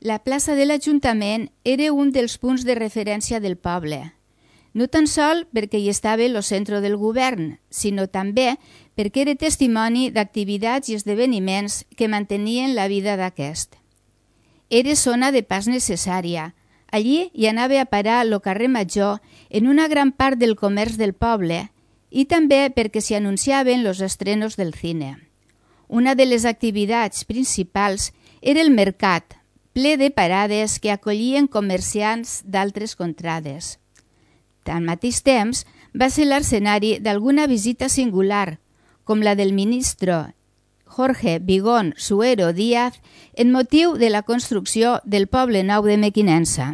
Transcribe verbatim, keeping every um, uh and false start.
La plaça de l'Ajuntament era un dels punts de referència del poble, no tan sol perquè hi estava el centre del govern, sinó també perquè era testimoni d'activitats i esdeveniments que mantenien la vida d'aquest. Era zona de pas necessària. Allí hi anava a parar el carrer Major en una gran part del comerç del poble i també perquè s'hi anunciaven els estrenos del cine. Una de les activitats principals era el mercat, ple de parades que acollien comerciants d'altres contrades. Al mateix temps, va ser l'escenari d'alguna visita singular, com la del ministre Jorge Vigón Suero Díaz en motiu de la construcció del poble nou de Mequinensa.